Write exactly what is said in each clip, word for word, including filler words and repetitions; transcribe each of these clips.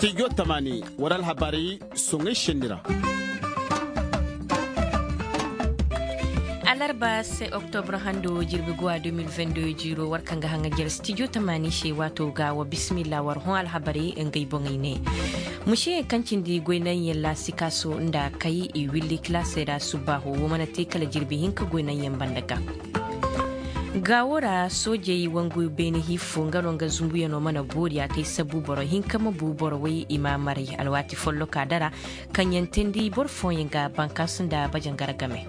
Stijo tamaani war alhabarey soŋay senni ra. Alarba se oktobra hando jirbi guwa deux mille vingt-deux jiiro war kaŋ ga haŋajer stijo tamaani se waato ga wa bismillah war hõ alhabarey ngey boŋey ne. Museyaŋ kaŋ cindi goynaŋyaŋ laasikaaso nda kay i willi kilaasey ra subbaaho wo mana te kala jirbi hinka goynaŋyaŋ banda ga. Gaawo ra soojey wangu beene hiifo nga no nga zunbuyaŋo mana boori a te sabu boro hinka ma bu boro way i ma maray alwaati folloka dara kaŋ yaŋ teendi boro fooyaŋ ga bankaasu nda bajangara game.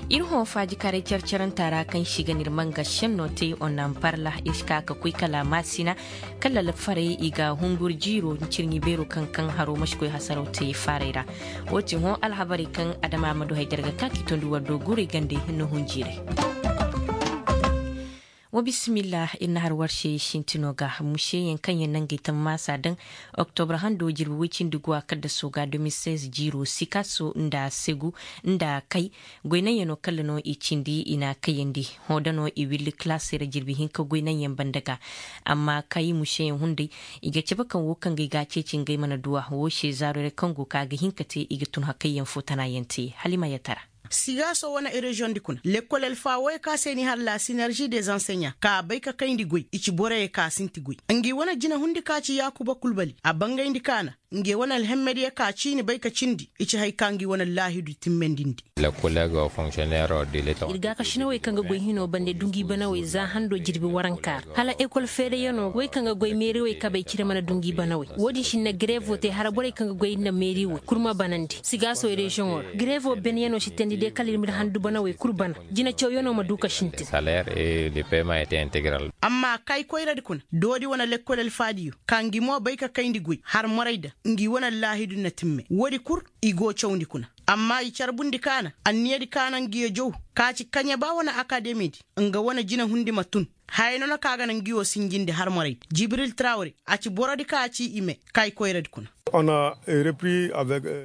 Ir hõ faajikaray care-caranta ra kaŋ si ga n'ir manga šenno te onnan parla ir si ka ka koy kala maasina kala lafarey i ga hungur jiiro cirɲi beero kaŋ kaŋ haro ma si koy hasaraw te faaray ra. Wo- ti hõ alhabarey kaŋ adama ma du hay darga ka k'i tondu war do guurey gande na hun jiiray. Wa bismillah ir na har war se sintino ga museyaŋ kaŋ yaŋ nangey tammaasa daŋ oktobra hando jirbi woy cindi guwa kaddaso ga deux mille seize jiiro sikaaso nda segu nda kay goynaŋyaŋo kala no i cindi i n'a kayandi. Hõ da no i willi kilaasey ra jirbi hinka goynaŋyaŋ banda ga. Amma kay museyaŋ hunday i ga cabe kaŋ wo kaŋ ga i ga a ceeci ngey mana duw'a wo se zaarorey kaŋ go ka ga hin ka te i ga tun hakayyaŋ fo tana yaŋ te halima yatara. Sigaaso wane reziyoŋ di kuna lekkol alfa woy ka se ni har la sinerzi des anseɲa ka bay ka kayndi goy i ci boroyey ka sinti goy. Ngi wane jinahundi ka ci yaakuba kulbali a bangayndi kaana. Nge wane alhemmediya ka ciini bay ka cindi i ci hay ka ngi wane laahidu timmendindi. Ir gaakasinawey kaŋ ga goy hinoo bande dungiibanawey za handoo jirbi warankaa ra hala ekol feereyanoo wey kaŋ ga goy meeriwey kabey cire mana dungiibanawey. Wo-din si na gareevoo te hala borey kaŋ ga goy nda meeriwey kul ma banandi sigaaso reziyoŋoo ra gareevoo benyanoo si teendi de kala ir m'ir handubanawey kul bana. Jinacawyanoo ma duu ka sintin. Amma kay koyradi kuna doodi wane lekkol alfaadiyo ka ngi mo bay ka kayndi goy har moray da ngi wane allaahidu na timme woodi kul. I go cawndi kuna amma i carbundi kaana anniyadi kaana ngiyo jow ka ci kaɲe ba wane akademidi nga wane jinahundi ma tun. Haya no na ka ga na ngiyo sinjindi har moraydi jibril trawre a ci borodi ka ci i me. Kay koyradi kuna.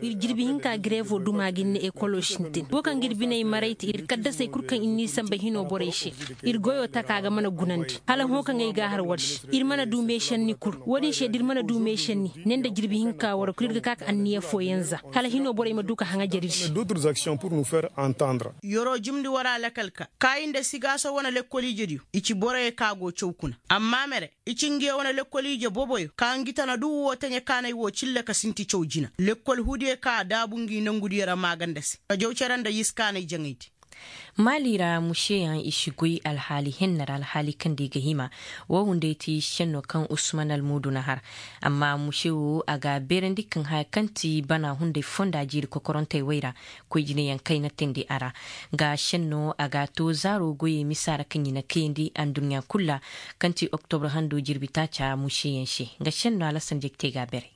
Ir jirbi hinka gareevoo duma ga ir na ekoloo sintin wo kaŋ ga ir biney maray te ir kaddasey kul kaŋ ir n'i sanba hinoo borey se. Ir goyoo taka ga mana gunandi hala hõ kaŋ ay ga a har war se. Ir mana du meešenni kul wo-din se da ir mana du meešenni ne nda jirbi hinka war kul ir ga ka ka anniya fooyaŋ za hala hinoo borey ma du ka haŋajer ir se. Yeroo jumndi war a lakal ka kaayi nda sigaaso wane lekkoliijediyo i ci boroyo ka go caw kuna. Amma mere i ci ngiyo wane lekkoliije boboyo ka ngi tana du woo taɲe kaanay woo cille ka sinti caw jina lekkol hudiyo ka a daabu ngi nongudiyo ra maaganda se ka jaw cere nda yiskaanay jaŋaydi. Maali ra museyaŋ i si goy alhaali henna ra alhaali kaŋ nda i ga hima. Woo hunday ti senno kaŋ usman almuudu na har. Amma muse woo a ga a beerandi kaŋ haya kaŋ ti bana hunday fonda jiiri kokorantey wey ra. Koy jinayaŋ kayna teendi a ra. Ga senno a ga a too zaaro goyey misa ra kaŋ i na kayandi adduɲɲa kul ra. Kaŋ ti oktobra hando jirbi taaca museyaŋ se. Nga senno alasan jekte ga a beeray.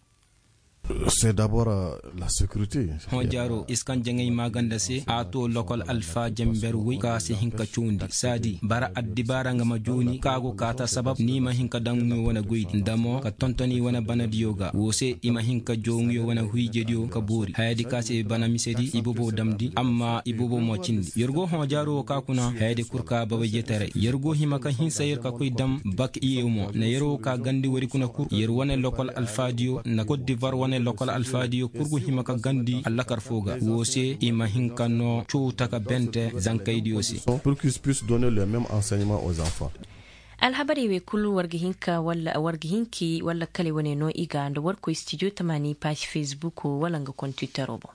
Hõ jaaro iskan jaŋay maaganda se a too lokol alfa jamber woy ka si hin ka cawndi saadi bara addibaara nga ma jooni ka go kaata sabab ni ma hin ka daŋ ŋuyo wane goydi nda mo ka tonton i wane banadiyo ga woo se i ma hin ka joo ŋuyo wane huyjediyo ka boori hayadi ka se bana misedi i bobo damndi amma i bobo mo cindi yer go hõ jaaro woo ka kuna hayadi kul ka babayjetaray yer go hima ka hinsa yer ka koy dam bak iye mo na yer woo ka gandi woodi kuna kul yer wane lokol alfaadiyo na kot divar wane lokol alfaadiyo kul go hima ka gandi allakar foo ga woo se i ma hin ka noo cowta ka bente zankaydiyo se. Alhabarey wey kul war ga hinka walla war ga hinki walla kale wane no i ga nda war koy stijo tamaani paasi fesbuk walla nga kontitaro boŋ.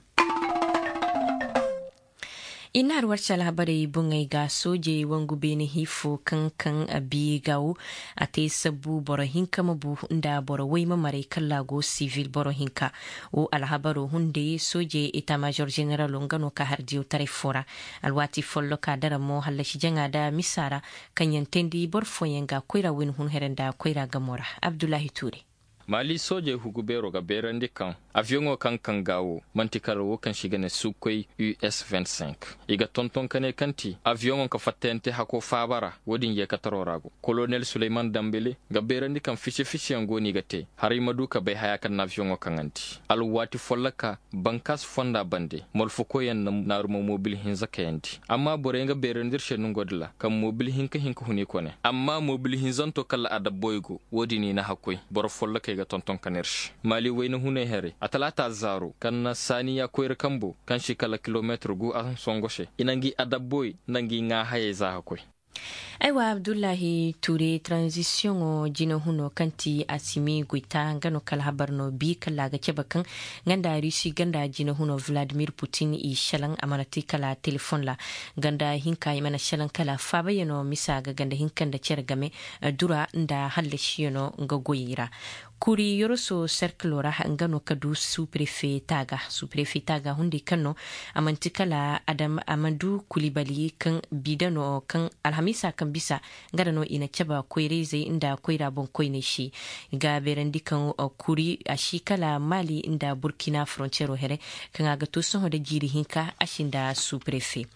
I na har war se alhabarey boŋey ga soojey wangu beene hiifo kaŋ kaŋ a bi ga wo a te sabbu boro hinka ma bu nda boro woy ma maray kalla go sivil boro hinka. Wo alhabaro hunday soojey eta major generalo nga no ka har diyawtaray foo ra. Alwaati folloka dara mo hallasi jaŋa nda misa ra kaŋ yaŋ teendi boro fooyaŋ ga koyra woy ni hun here nda koyra gamo ra. Abdullahi tuure. Maali soojey hugu beero ga beerandi kaŋ aviyoŋo kaŋ kaŋ ga wo man'ti kala wo kaŋ se i ga ne sukkoy us vingt-cinq. I ga tonton ka ne kaŋ ti aviyoŋo ka fattayante hako faaba ra. Wo-din yeekataro ra go kolonel suleyman dambele ga beerandi kaŋ fise-fiseyaŋ go no i ga te haray ma du ka bay haya kaŋ na aviyoŋo kaŋandi alwaati folloka. Bankaas fonda bande molfokoyaŋ na naaru ma mobil hinza kayandi amma boroyaŋ ga beerandi ir se nongodi ra kaŋ mobil hinka hinka huni kone amma mobil hinzanto kala adabboy go. Wo-din i na hakkoy boro follokey. Tonton ka neer se maali wayna hunay haray a talaata zaaro kaŋ na saaniya koyra kambo kaŋ si kala kilomeetir gu a songo se i na ngi adabboy nda ngi ŋaa hayey za ka koy. Aywa abdullahi ture tranzisiyoŋo jinahuno kaŋ ti asimi goyta nga no kala habar no bi kala a ga cabe kaŋ nga nda rusi ganda jinahuno vladimir putin i selaŋ a mana te kala telefoŋ ra. Ganda hinka i mana selaŋ kala faabayano misa ga ganda hinka nda cere game dura nda hallasiyano nga goyey ra. Kuri yoroso serkilo ra nga no ka du suprefe taaga suprefe taaga hunday kaŋ no a manti kala adam a ma du kulibali kaŋ bidano kaŋ alhamiisa kaŋ bisa nga da no i na caba koyra-izey nda koyra boŋkoyney se. Ga beerandi kaŋ kuri a si kala maali nda burkina forontiyero here kaŋ a ga to sohõ nda jiiri hinka a si nda suprefe.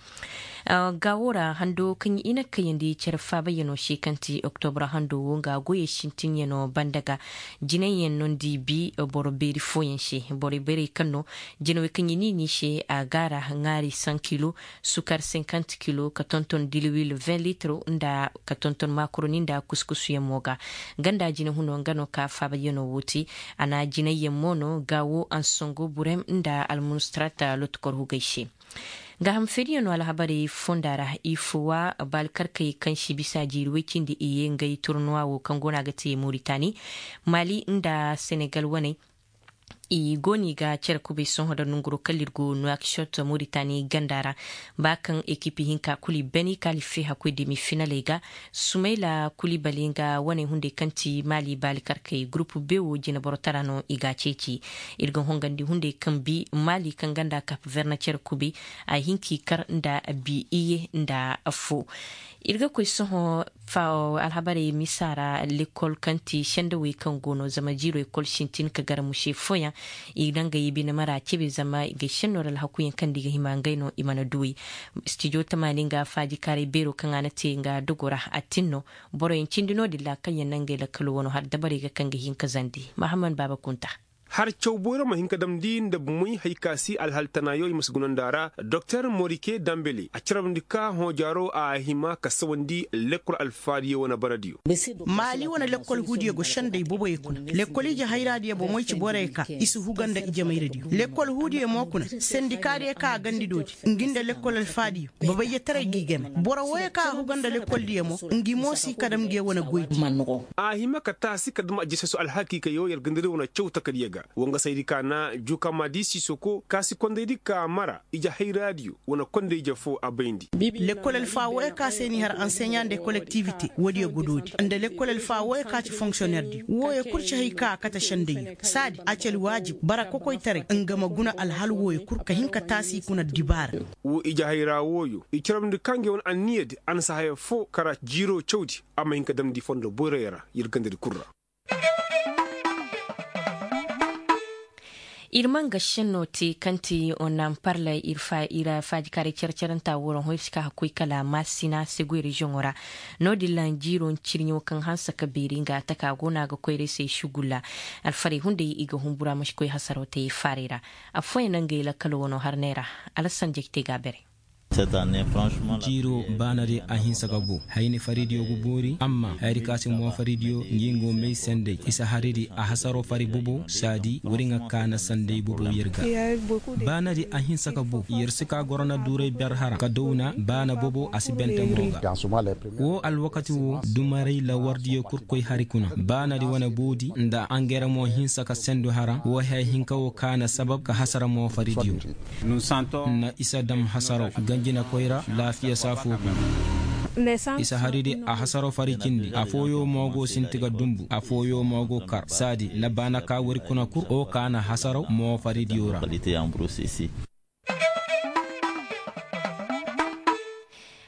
Gaawo ra hando kaŋ i na kayandi care faabayyano se kaŋ ti oktobra hando wo nga goyey sintinyano banda ga jinayyaŋ no nda i bi boro beeri fooyaŋ se. Borey beerey kaŋ no jinawey kaŋ i n'i ni se a gaara ŋaari san kilo sukar sinkant kilo ka tonton diliwil vin litir nda ka tonton makoroni nda kuskusuyaŋ mo ga. Ganda jinahuno nga no ka faabayyano wo te. A na jinayyaŋ mo no gaawo ansongo burem nda almunustrata lotukor hugay se. Gaaham feeriyaŋo alhabarey fonda ra i fuwa baalikarkey kaŋ si bisa jiiri woy cindi iye ngey turnuwa wo kaŋ go no a ga te moritani mali nda senegal waney. I go no i ga cere kubay sohõ nda nonguro kala ir go nuwakshot moritani ganda ra. Ba kaŋ ekipi hinka kulu i bani kaŋ a life hakkoy demi finaley ga. Sumayla kulibali nga waney hunday kaŋ ti mali baalikarkey gurupu bewo jineboro tara no i ga a ceeci. Ir ga hongandi hunday kaŋ bi mali kaŋ ganda kap verne cere kubi a hin k'i kar nda bi iye nda affo. Ir ga koy sohõ alhabarey misa ra lekol kaŋ ti sendawey kaŋ go no zama jiiro ekol sintin ka gar muse fooyaŋ. I na ngey bine mara cebe zama i ga senno ra alhakuyaŋ kaŋ nda i ga hima ngey no i mana duwey. Stijo tamaani nga faajikaaray beero kaŋ a na te nga dogo ra a tin no. Boroyaŋ cindi no-din ra kaŋ yaŋ na ngey lakkalo wano har dabarey ga kaŋ ga hin ka zandi mahamman baaba kunta. Har caw boyro ma hin ka damndi nda bumey hay ka si alhal tanaayo i ma si gunandi a ra doktor morike dambele a carabndi ka hõojaaro a hima ka sawandi lekkol alfaadiyo wane baradiyo. Maali wane lekkol huudiyo go sendey boboyey kuna lekkol ije hayraadiyo bomoy ci borey ka i si huga nda ijemayradiyo lekkol huudiyo mo kuna sendikaadiyo ka a gandi doodi ngi nda lekkol alfaadiyo. Babayyetaray g'i game boro wooyo kaŋ a huga nda lekkoldiyo mo ngi mo si kadam nge wane goydi. A hima ka taasi kadam ajeseso alhakiikayo yer gandari wane caw takadiyo ga wangasaydi ka na jukamadi sisoko kaasi kondaydi ka mara ije hayraadiyo wane konday ije foo a bayndi. Lekkol alfa wooyo ka se ni har anseɲa nda kolektivite woodiyo godoodi nda lekkol alfa wooyo ka ci fonksiyonnerdiyo wooyo kul ci hay ka a kate sendayyo saadi a ci alwaajib bara kokoytaray nga ma guna alhal wooyo kul ka hin ka taasi kuna dibaara. Wo ije hayra wooyo i carabndi ka ngey wane anniyadi a na si haya foo kara jiiro cawdi a ma hin ka damndi fondo boyroyo ra yer gandadi kul ra. Ir ma nga senno te kaŋ ti onamparla ir faajikaaray care-caranta woo ra hõ ir si ka ka koy kala maasina segoy reziyoŋo ra. No-din ra jiiro ncirɲo kaŋ hanse ka beeri nga taka go no a ga koyra ay se sugulla. Alfarey hunday i ga humbura ma si koy hasaroo te faarey ra. Affooyaŋ na ngey lakkalo wano harney ra. Alasan jekte ga a bare. Jiiro baanadi a hinsa ka boo hayni faridiyo ga boori amma hayadi ka se mo faridiyo ngi ngo may sanday isa haridi a hasaro fari bobo saadi wari nga kaana sanday bobo yer ga. Baanadi a hinsa ka boo yer si ka gorona duuray ber hara ka downa baana bobo a si bente mo ga. Woo alwakati woo dumaray lawardiyo kurkoy hari kuna baanadi wane boodi nda angere mo hinsa ka sendu hara woo hee hinka woo kaana sabab ka hasara mo faridiyo. Na isa dam hasaraw ganjinakoy ra laafiya saafo kuna. Isa haridi a hasaraw fari cindi afooyo mo go sinti ga dumbu afooyo mo go kar saadi na baana ka wari kuna kul o ka na hasaraw mo faridiyo ra.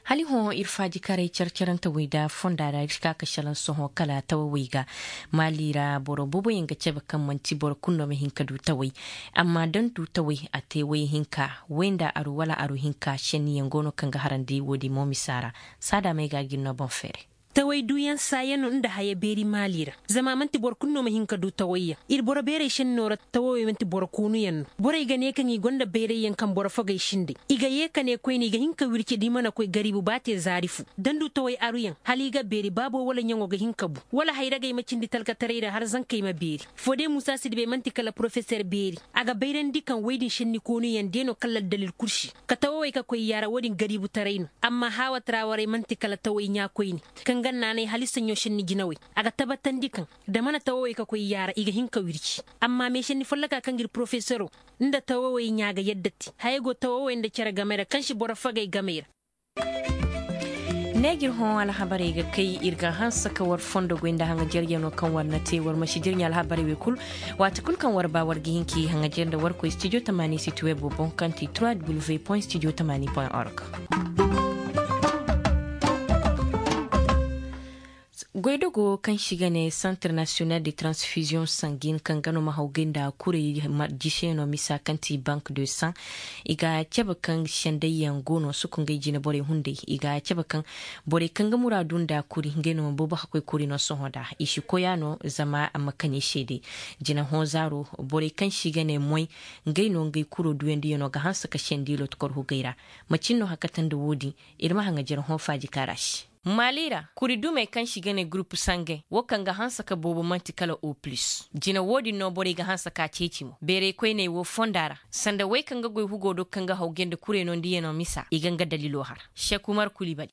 Hala hõ ir faajikaray carcarantawey nda fonda ra ir si ka ka šelaŋ sohõ kala tawawey ga. Maali ra boro booboyaŋ ga cabe kaŋ man'ti boro kulu no ma hin ka du tawey. Amma da ni du tawey a te way hinka way nda aru wala aru hinka šenniyaŋ go no kaŋ ga harandi woodin mo misa ra. Saada may ga gin no boŋ feere. Taway duuyaŋ saayaŋ no nda haya beeri maali ra. Zama a man'ti boro kulu no ma hin ka du tawayyaŋ. Ir boro beerey šennoo ra tawawey man'ti boro koonuyaŋ no. Borey ga ne kaŋ i gonda bayrayyaŋ kaŋ boro fogey sindey i ga yee ka ne koyne i ga hin ka wirci da i mana koy gariibu ba te zaari fu. Da n'du taway aruyaŋ hala i ga beeri baabo wala ɲaŋo ga hin ka bu wala hayragey ma cindi talkataray ra har zankey ma beeri. Foode muusa sidibey man'ti kala porofeser beeri. A ga bayrandi kaŋ woy din šenni koonuyaŋ de no kala addalil kurši. Ka tawawey ka koy yaara wo-din gariibutaray no. Amma haawa taraawarey man'ti kala taway ɲaa koyne. Kaŋ ga naanay hala i saɲɲo šenni jinawey. A ga tabatandi kaŋ da mana tawawey ka koy yaara i ga hin ka wirci. Amma meešenni folloka kaŋ ga ir porofeseroo nda tawawey ɲaa ga yadda te hayey go tawawey nda cere game ra kaŋ si boro fagay game ra. Ne ga ir hõ alhabarey ga kay ir ga hanse ka war fondo goy nda haŋajeryanoo kaŋ war na te war ma si jirɲi alhabarey wey kul. Waati kul kaŋ war ba war ga hin k'i haŋajer nda war koy studio tamaani siti webo boŋ kaŋ ti trois w point studio tamaani point org. Goydogo kaŋ se i ga ne santre nasiyonal de transfiziyoŋ sangin kaŋ ga no ma hawgay nda kuray jiseyaŋo misa kaŋ ti bank de san. I ga cabe kaŋ sendayyaŋ go no suku ngey jine borey hunday i ga cabe kaŋ borey kaŋ ga muraadu nda kuri ngey no ma boobo ka koy kuri no sohõ nda i si koy a no zama a ma kani se day. Jine hõ zaaro borey kaŋ se i ga ne moy ngey no ngey kuro duyandiyaŋo ga hanse ka sendi lotokor hugey ra. Macin no hakatandi wo-din? Ir ma haŋajer hõ faaji kaara se. Maali ra kuri dumey kaŋ se i ga ne gurupu sangey wo kaŋ ga hanse ka boobo man'ti kala o pulis. Jine wo-din no borey ga hanse ka ceeci mo beerey koyney wo fonda ra sanda wey kaŋ ga goy hugo do kaŋ ga hawgay nda kuray no nda yano misa i ga nga dalilo har. Sekumar kulibali.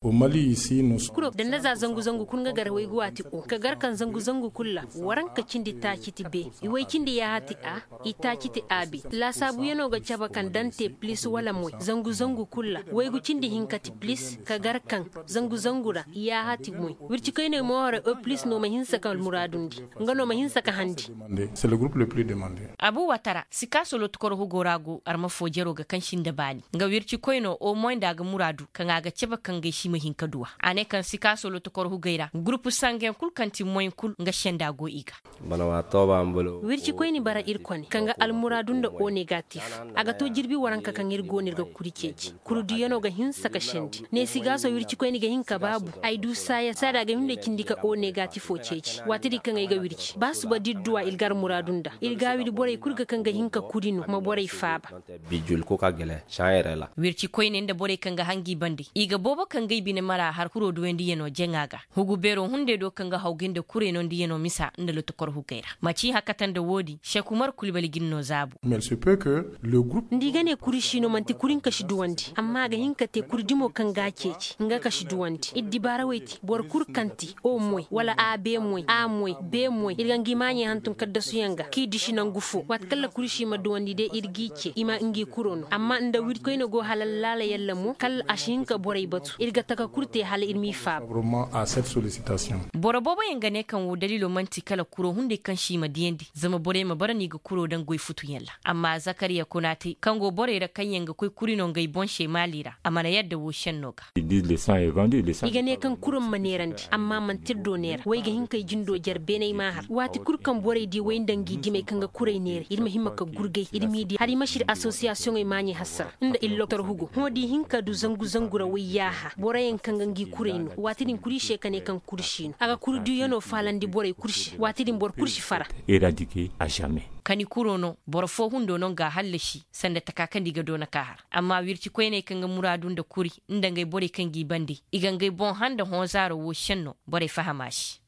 Danda za zangu zangu kul nga gar waygu waati o ka gar kaŋ zangu zangu kul ra. Waranka cindi taaci ti be iway cindi yaaha ti a. Itaaci ti a be laasaabuyanoo ga cabe kaŋ da ni te pilis wala moy zangu zangu kul ra waygu cindi hinka ti pilis ka gar kaŋ zangu zangu ra. Yaaha ti moy wircikoyney mo haray o pilis no ma hinsa ka almuraadundi. Nga no ma hinsa ka handi. Abu watara sikaaso lootikoro hugo ra go arma foo jeroo ga kaŋ si nda baani nga wircikoynoo o moy nda a ga muraadu kaŋ a ga cabe kaŋ gay si ma hin ka duw'a. A ne kaŋ sikaaso lootikoro hugey ra gurupu sangeyaŋ kul kaŋ ti moy kul nga senda go i ga. Wircikoyni bara irkone kaŋ ga almuraadu nda o negatif. A ga to jirbi waranka kaŋ ir go no ir ga kuri ceeci. Kuri duyanoo ga hinsa ka sendi neesigaaso wircikoyni ga hin ka baabu. Ay du saaya saada a ga hin nda cindi ka o negatifoo ceeci waati din kaŋ ay ga wirci ba suba da ir duw'a ir ga almuraadu nda ir gaawidi borey kul ga kaŋ ga hin ka kuri no ma borey faaba. Wircikoyney nda borey kaŋ ga hangi bande i ga boobo kaŋ ga ay bine mara har kuroo duwandiyanoo jaŋa ga. Hugu beeroo hunday do kaŋ ga hawgay nda kurey no nda yanoo misa nda lotokor hugey ra macin hakata nda woodin sekumar kulbali ga ni no zaabu. Nda i ga ne kuri siino man'ti kuri nka si duwandi amma a ga hin ka te kuri dimo kaŋ ga a ceeci nga ka si duwandi ir dibaarawey te boro kul kaŋ te o moy wala a be moy a moy be moy ir ga ngi maaɲey hantum kaddasuyaŋ ga k'i disi nangu fo waati kaŋ ra kuri si ma duwandi day ir g'i ce i ma ngi kuro no amma nda wirkoyne go hala laala yalla mo kala a si hin ka borey batu ir ga taka kul te hala ir m'i faaba. Boro booboyaŋ ga ne kaŋ woo daliilo man'ti kala kuro hunday kaŋ si i ma diyandi zama borey ma bara no i ga kuro daŋ goy futuyaŋ ra. Amma zakariya konaate kaŋ go borey ra kaŋyaŋ ga koy kuri no ngey boŋ se maali ra a mana yadda woo senno ga. I ga ne kaŋ kuro ma neerandi amma man'ti ir do neera way ga hin ka ay jindo jer beenay ma har waati kul kaŋ borey di way nda ngi dimey kaŋ ga kurey neera ir ma hima ka gurgay ir m'i di hala i ma si ir asosiyasiyoŋey maaɲey hassara nda ir lotor hugo hõ da i hin ka du zangu zangu ra way yaaha boroyaŋ kaŋ ga ngi kurey no waati din kuri se ka ne kaŋ kuri si no a ga kuri duyano faalandi borey kul se waati din boro kul si fara. Kani kuro no boro foo hundo no nga a hallasi sanda taka kaŋ nda i ga doona ka har amma wircikoyney kaŋ ga muraadu nda kuri nda ngey borey kaŋ g'i bande i ga ngey boŋ handa hõ zaaro woo senno borey faham a se.